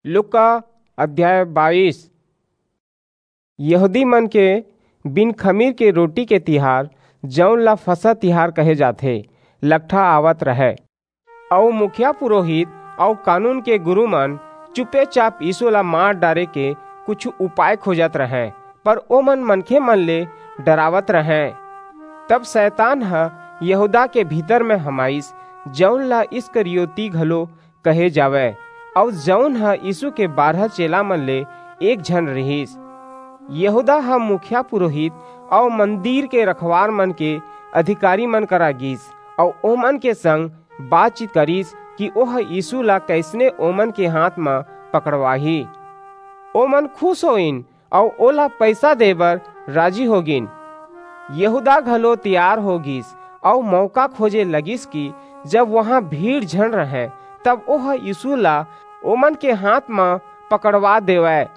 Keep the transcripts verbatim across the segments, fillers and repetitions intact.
लूका अध्याय बाईस। यहूदी मन के बिन खमीर के रोटी के तिहार, जऊन ला फसह तिहार कहे जाथे, लकठा आवत रहय। अऊ मुखिया पुरोहित अऊ कानून के गुरू मन चुपेचाप यीशु ला मार डारे के कुछ उपाय खोजत रहंय, पर ओमन मनखे मन ले डरावत रहंय। तब शैतान ह यहूदा के भीतर म हमाइस, जऊन ला इस्करियोती घलो कहे जावय, अऊ जऊन ह यीशु के बारह चेला मन ले एक झन रिहिस। यहूदा ह मुखिया पुरोहित अऊ मंदिर के रखवार मन के अधिकारी मन करा गीस, अऊ ओमन के संग बातचीत करिस कि ओह यीशु ला कइसने ओमन के हाथ म पकड़वाही। ओमन खुश होइन अऊ ओला पइसा दे बर राजी हो गीन। यहूदा घलो तियार हो गीस अऊ मौका खोजे लगिस कि जब उहां भीड़ झन रहय, तब ओह यीशु ला ओमन के हाथ म पकड़वा देवय।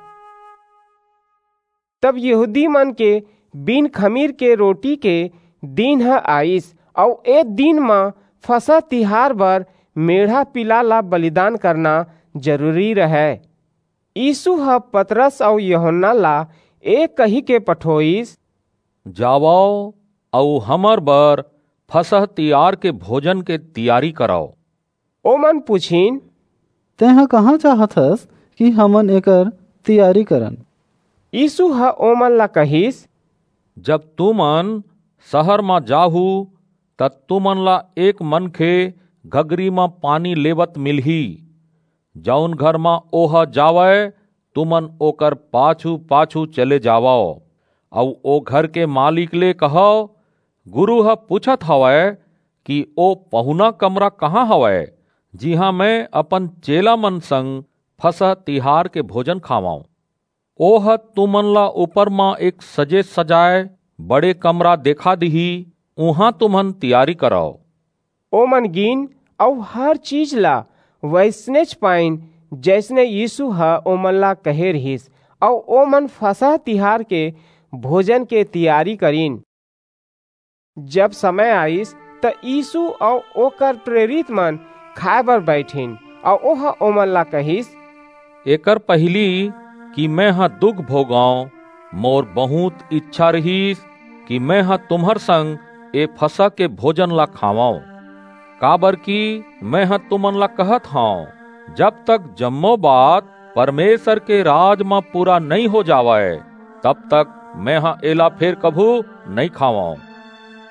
तब यहूदी मन के बिन खमीर के रोटी के दिन ह आइस, अऊ ए दिन म फसह तिहार बर मेढ़ा पिला ला बलिदान करना जरूरी रहय। यीशु ह पतरस अऊ यूहन्ना ला ए कहिके पठोइस, "जावव अऊ हमर बर फसह तिहार के भोजन के तियारी करव।" ओमन पुछिन, "तेंह कहाँ चाहत हस कि हमन एकर तियारी करन?" यीशु ह ओमन ला कहिस, "जब तुमन सहर म जाहू, त तुमन ला एक मनखे घगरी म पानी लेवत मिलही। जऊन घर म ओह जावय, तुमन ओकर पाछू-पाछू चले जावव, अऊ ओ घर के मालिक ले कहव, 'गुरू ह पूछत हवय कि ओ पहुना कमरा कहाँ हवय, जिहां मैं अपन चेला मन संग फसह तिहार के भोजन खावंव।' ओह तुमन ला ऊपर म एक सजे-सजाय बड़े कमरा देखा दिही, उहां तुमन तियारी करव।" ओमन गीन अऊ हर चीज ला वइसनेच पाइन, जइसने यीशु ह ओमन ला कहे रिहिस, अऊ ओमन फसह तिहार के भोजन के तियारी करिन। जब समय आइस, त यीशु अऊ ओकर प्रेरित मन खाय बर बईठिन, अऊ ओह ओमन ला कहिस, "एकर पहिली कि मेंह दुख भोगंव, मोर बहुंत इच्छा रिहिस कि मेंह तुम्हर संग ए फसह के भोजन ला खावंव, काबरकि मेंह तुमन ला कहत हंव, जब तक जम्मो बात परमेसर के राज म पूरा नइं हो जावय, तब तक मेंह एला फेर कभू नइं खावंव।"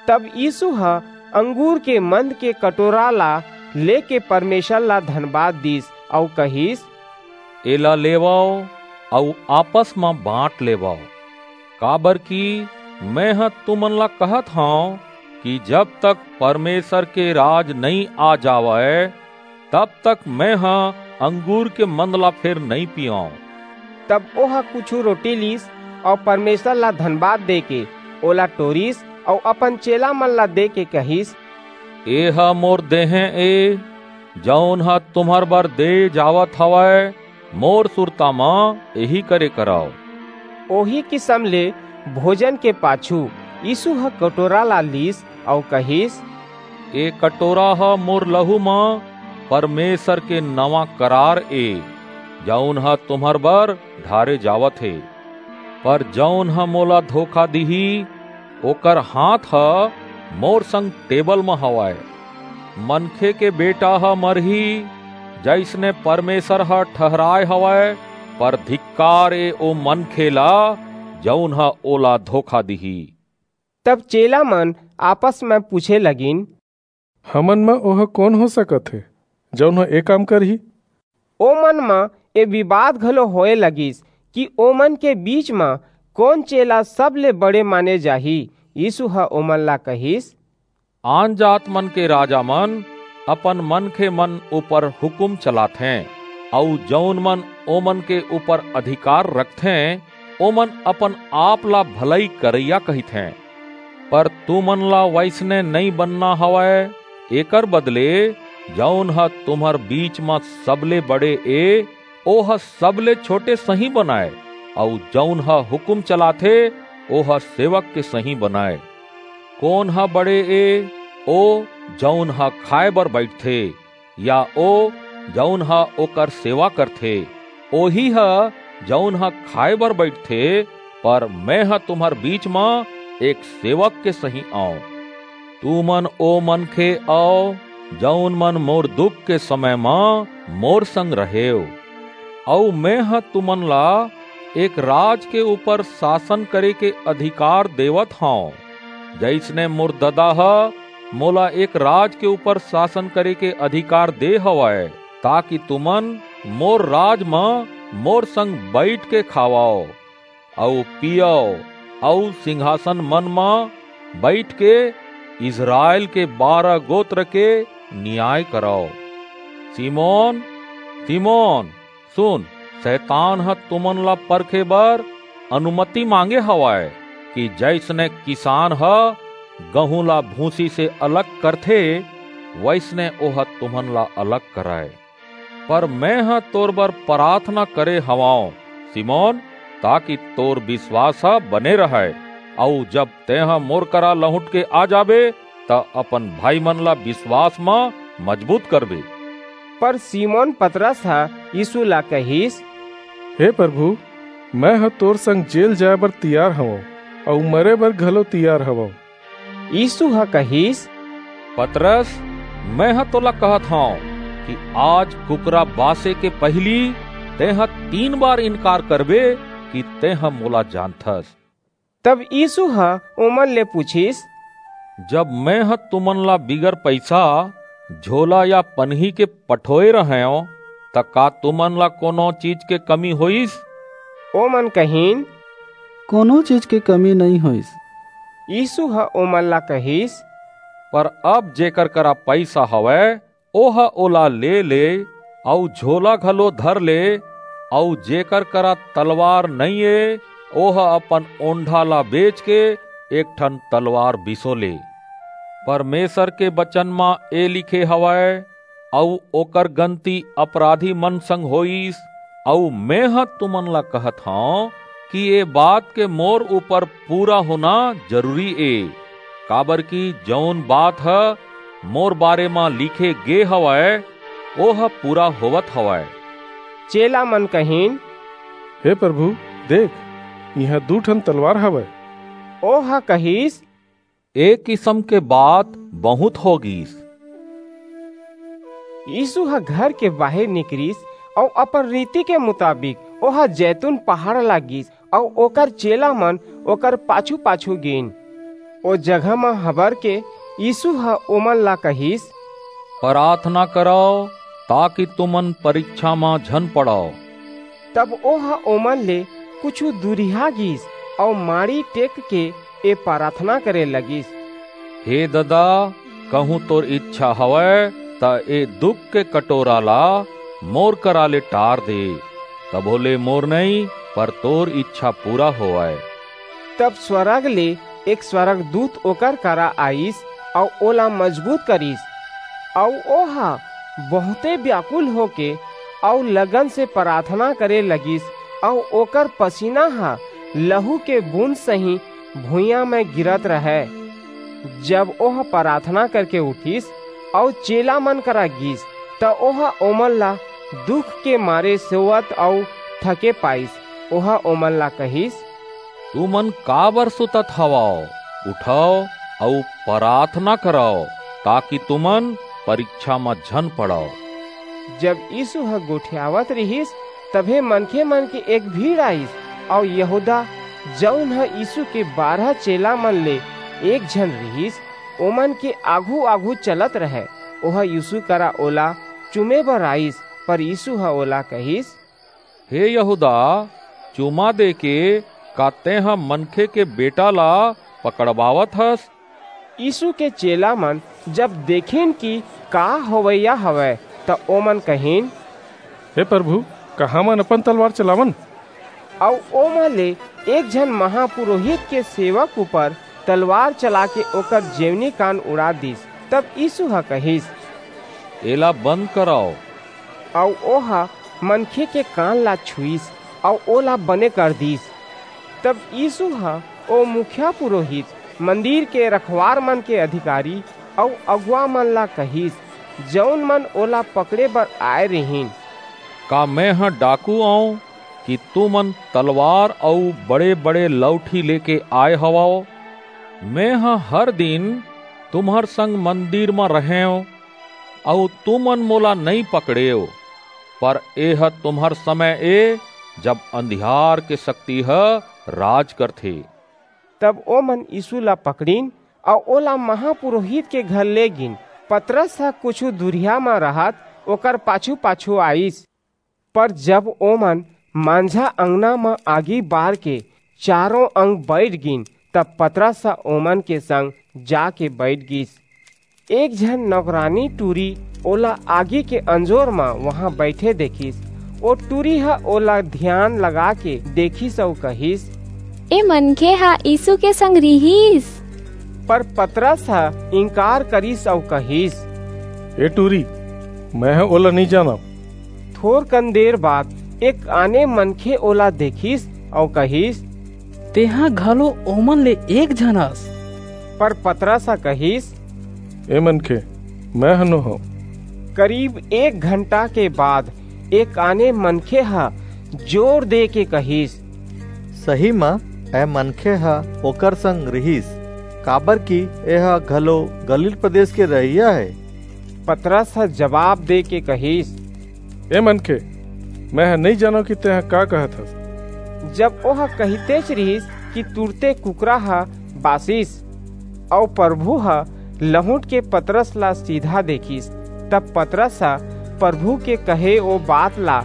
तब यीसू ह अंगूर के मंद के कटोरा ला लेके परमेसर ला धनबाद दीस अऊ कहिस, "एला लेवव अऊ आपस म बांट लेवव, काबरकि मेंह तुमन ला कहत हंव कि जब तक परमेसर के राज नइं आ जावय, तब तक मेंह अंगूर के मंद ला फेर नइं पींव।" तब ओह कुछू रोटी लीस अऊ परमेसर ला धनबाद देके ओला टोरिस अऊ अपन चेला मन ला देके कहिस, "एह मोर देहें ए, जऊन ह तुम्हर बर दे जावत हवय, मोर सुरता म एही करे करव।" ओही किसम ले भोजन के पाछू यीसू ह कटोरा ला लीस अऊ कहिस, "ए कटोरा ह मोर लहू म परमेसर के नवां करार ए, जऊन ह तुम्हर बर ढारे जावत हे। पर जऊन ह मोला धोखा दिही, ओकर हांथ ह मोर संग टेबल म हवय। मनखे के बेटा ह मरही, जइसने परमेसर ह ठहराय हवय, पर धिक्कार ए ओ मनखे ला, जऊन ह ओला धोखा दिही।" तब चेला मन आपस म पूछे लगिन, "हमन म ओह कोन हो सकत हे, जऊन ह ए काम करही?" ओमन म ए बिबाद घलो होय लगिस कि ओमन के बीच म कोन चेला सबले बड़े माने जाही। यीसू ह ओमन ला कहिस, "आनजात मन के राजा मन अपन मनखे मन ऊपर हुकूम चलाथें, अऊ जऊन मन ओमन के ऊपर अधिकार रखथें, ओमन अपन आप ला भलई करइया कहिथें। पर तुमन ला वइसने नइं बनना हवय, एकर बदले जऊन ह तुम्हर बीच म सबले बड़े ए, ओह सबले छोटे सहीं बनय, अऊ जऊन ह हुकूम चलाथे, ओह सेवक के सहीं बनय। कोन ह बड़े ए, ओ जऊन ह खाय बर बईठथे, या ओ जऊन ह ओकर सेवा करथे? ओही ह, जऊन ह खाय बर बईठथे, पर मेंह तुम्हर बीच म एक सेवक के सहीं अंव। तुमन ओ मनखे अव, जऊन मन मोर दुख के समय म मोर संग रहेव। अऊ मेंह तुमन ला एक राज के ऊपर सासन करे के अधिकार देवत हंव, जइसने मोर ददा ह मोला एक राज के ऊपर सासन करे के अधिकार दे हवय, ताकि तुमन मोर राज म मोर संग बईठ के खावव अऊ पीयव, अऊ सिंहासन मन म बईठ के इसरायल के बारह गोत्र के नियाय करव। सिमोन, सिमोन, सुन, सैतान ह तुमन ला परखे बर अनुमति मांगे हवय, कि जइसने किसान ह गहूं ला भूसी से अलग करथे, वइसने ओह तुमन ला अलग करय। पर मेंह तोर बर पराथना करे हवंव, सिमोन, ताकि तोर बिसवास ह बने रहय, अऊ जब तेंह मोर करा लहुंट के आ जाबे, त अपन भाईमन ला बिसवास म मजबूत करबे। पर सिमोन पतरस ह यीसू ला कहिस, हे परभू, मेंह तोर संग जेल जाय बर तियार हवंव, अऊ मरे बर घलो तियार हवंव। यीसू ह कहिस, पतरस, मेंह तोला कहत हंव कि आज कुकरा बासे के पहिली तेंह तीन बार इनकार करबे कि तेंह मोला जानथस। तब यीसू ह ओमन ले पुछिस, जब मेंह तुमन ला बिगर पईसा, झोला या पनही के पठोय रहेंव, त का तुमन ला कोनो चीज के कमी होईस? ओमन कहिन, कोनो चीज के कमी नइं होईस। यीसू ह ओमन ला कहिस, पर अब जेकर करा पईसा हवय, ओह ओला ले ले, अऊ झोला घलो धर ले, अऊ जेकर करा तलवार नइं ए, ओह अपन ओंढा ला बेच के एक ठन तलवार बिसो ले। परमेसर के बचन म ए लिखे हवय, अऊ ओकर गनती अपराधी मन संग होईस, अऊ मेंह तुमन ला कहत हंव कि ए बात के मोर ऊपर पूरा होना जरूरी ए, काबरकि जऊन बात ह मोर बारे म लिखे गे हवय, ओह पूरा होवत हवय। चेला मन कहिन, हे परभू, देख, इहां दू ठन तलवार हवय। ओह कहिस, ए किसम के बात बहुंत हो गीस। यीसू ह घर के बाहिर निकरिस अऊ अपन रीति के मुताबिक ओह जैतून पहाड़ ला गीस अऊ ओकर चेला मन ओकर पाछू-पाछू गीन। ओ जगह म हबर के यीसू ह ओमन ला कहिस, पराथना करव, ताकि तुमन परिक्छा म झन पड़व। तब ओह ओमन ले कुछू दूरिहा गीस अऊ माड़ी टेक के ए पराथना करे लगिस, हे ददा, कहूं तोर ईछा हवय, त ए दुख के कटोरा ला मोर करा ले टार दे। तभो ले मोर नइं, पर तोर ईछा पूरा होवय। तब स्वरग ले एक स्वरगदूत ओकर करा आईस अऊ ओला मजबूत करिस। अऊ ओह बहुंते ब्याकुल होके अऊ लगन से पराथना करे लगिस, अऊ ओकर पसीना ह लहू के बूंद सहीं भुइयां म गिरत रहय। जब ओह पराथना करके उठिस अऊ चेला मन करा गीस, त ओह ओमन ला दुख के मारे सोवत अऊ थके पाईस। ओह ओमन ला कहिस, तुमन काबर सुतत हवव? उठव अऊ पराथना करव, ताकि तुमन परिक्छा म झन पड़व। जब यीसू ह गोठियावत रिहिस, तभे मनखे मन के एक भीड़ आईस, अऊ यहूदा, जऊन ह यीसू के बारह चेला मन ले एक झन रिहिस, ओमन के आघू-आघू चलत रहय। ओह यीसू करा ओला चूमे बर आईस, पर यीसू ह ओला कहिस, हे यहूदा, चूमा देके का तेंह मनखे के बेटा ला पकड़वावत हस? यीसू के चेला मन जब देखिन कि का होवइया हवय, त ओमन कहिन, हे परभू, का हमन अपन तलवार चलावन? अऊ ओमा ले एक झन महापुरोहित के सेवक ऊपर तलवार चलाके ओकर जेवनी कान उड़ा दीस। तब यीसू ह कहिस, एला बंद करव। अऊ ओह मनखे के कान ला छुईस, अऊ ओला बने कर दीस। तब यीसू ह ओ मुखिया पुरोहित, मंदिर के रखवार मन के अधिकारी अऊ अगुवा मन ला कहिस, जऊन मन ओला पकड़े बर आय रिहिन, का मेंह डाकू अंव कि तुमन तलवार अऊ बड़े-बड़े लौठी लेके आय हवव? मेंह हर दिन तुम्हर संग मंदिर म रहेंव, अऊ तुमन मोला नइं पकड़ेव। पर एह तुम्हर समय ए, जब अंधियार के सक्ति ह राज करथे। तब ओमन यीसू ला पकड़िन अऊ ओला महापुरोहित के घर ले गीन। पतरस ह कुछू दूरिहा म रहत ओकर पाछू-पाछू आईस। पर जब ओमन मांझा अंगना म आगी बारके चारों अंग बईठ गीन, तब पतरस ह ओमन के संग जाके बईठ गीस। एक झन नौकरानी टूरी ओला आगी के अंजोर म उहां बईठे देखिस। ओ टूरी ह ओला धियान लगाके देखिस अऊ कहिस, "ए मनखे ह यीसू के संग रिहिस।" पर पतरस ह इंकार करिस अऊ कहिस, "ए टूरी, मेंह ओला नइं जानंव।" थोरकन देर बाद एक आने मनखे ओला देखिस अऊ कहिस, "तेंह घलो ओमन ले एक झन अस।" पर पतरस ह कहिस, "ए मनखे, मेंह नो हंव।" करीब एक घंटा के बाद एक आने मनखे ह जोर देके कहिस, "सही म, ए मनखे ह ओकर संग रिहिस, काबरकि एह घलो गलील प्रदेस के रहइया हे।" पतरस ह जबाब देके कहिस, "ए मनखे, मेंह नइं जानंव कि तेंह का कहत हस।" जब ओह कहितेच रिहिस कि तुरते कुकरा ह बासिस, अऊ परभू ह लहुंटके पतरस ला सीधा देखिस, तब पतरस ह परभू के कहे ओ बात ला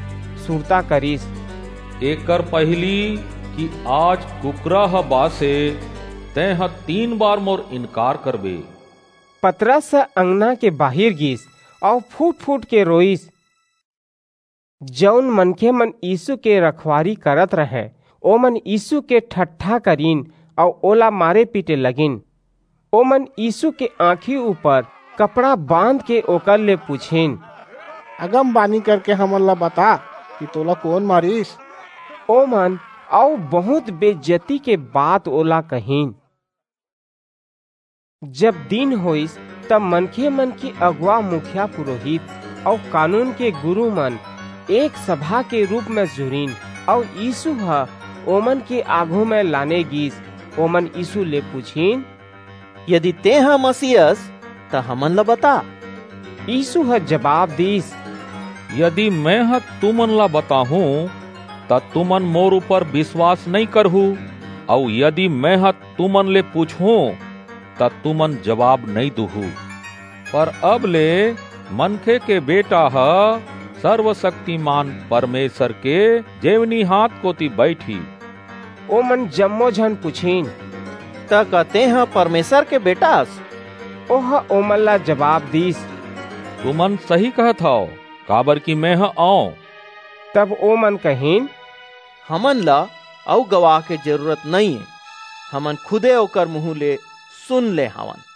सुरता करिस, "एकर पहिली कि आज कुकरा ह बासे, तेंह तीन बार मोर इनकार करबे।" पतरस ह अंगना के बाहिर गीस अऊ फूट-फूट के रोईस। जऊन मनखेमन यीसू के रखवारी करत रहंय, ओमन यीसू के ठट्ठा करिन अऊ ओला मारे-पीटे लगिन। ओमन यीसू के आंखी ऊपर कपड़ा बांधके ओकर ले पुछिन, "अगमबानी करके हमन ला बता कि तोला कोन मारिस?" ओमन अऊ बहुंत बेइज्जती के बात ओला कहिन। जब दिन होईस, तब मनखेमन के अगुवा, मुखिया पुरोहित अऊ कानून के गुरूमन एक सभा के रूप म जुरिन, अऊ यीसू ह ओमन के आघू म लाने गीस। ओमन यीसू ले पुछिन, "यदि तेंह मसीह अस, त हमन ला बता।" यीसू ह जबाब दीस, "यदि मेंह तुमन ला बताहूं, त तुमन मोर ऊपर बिसवास नइं करहू, अऊ यदि मेंह तुमन ले पुछहूं, त तुमन जबाब नइं दूहू। पर अब ले मनखे के बेटा ह सर्वसक्तिमान परमेसर के जेवनी हांथ कोति बईठही।" ओमन जम्मो झन पुछिन, "त का तेंह परमेसर के बेटा अस?" ओह ओमन ला जबाब दीस, "तुमन सही कहत हव, काबरकि मेंह अंव।" तब ओमन कहिन, "हमन ला अऊ गवाह के जरूरत नइं हे, हमन खुदे ओकर मुहूं ले सुन ले हवन।"